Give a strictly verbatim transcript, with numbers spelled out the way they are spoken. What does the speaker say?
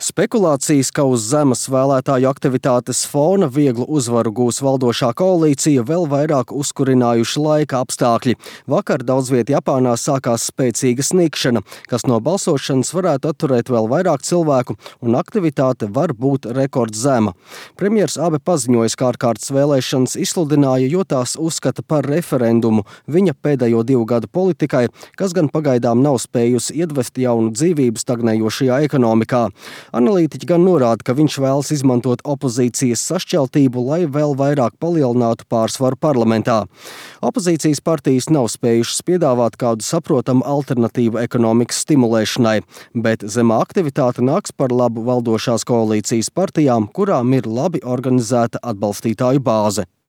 Spekulācijas, ka uz zemes vēlētāju aktivitātes fona vieglu uzvaru gūs valdošā koalīcija, vēl vairāk uzkurinājuši laika apstākļi. Vakar daudz viet Japānā sākās spēcīga snikšana, kas no balsošanas varētu atturēt vēl vairāk cilvēku, un aktivitāte var būt rekordzema. Premjers Abe paziņoja, ka ārkārtas vēlēšanas izsludināja, jo tās uzskata par referendumu viņa pēdējo divu gadu politikai, kas gan pagaidām nav spējusi iedvest jaunu dzīvību stagnējošajā ekonomikā. Analītiķi gan norāda, ka viņš vēlas izmantot opozīcijas sašķeltību, lai vēl vairāk palielinātu pārsvaru parlamentā. Opozīcijas partijas nav spējušas piedāvāt kādu saprotamu alternatīvu ekonomikas stimulēšanai, bet zemā aktivitāte nāks par labu valdošās koalīcijas partijām, kurām ir labi organizēta atbalstītāju bāze.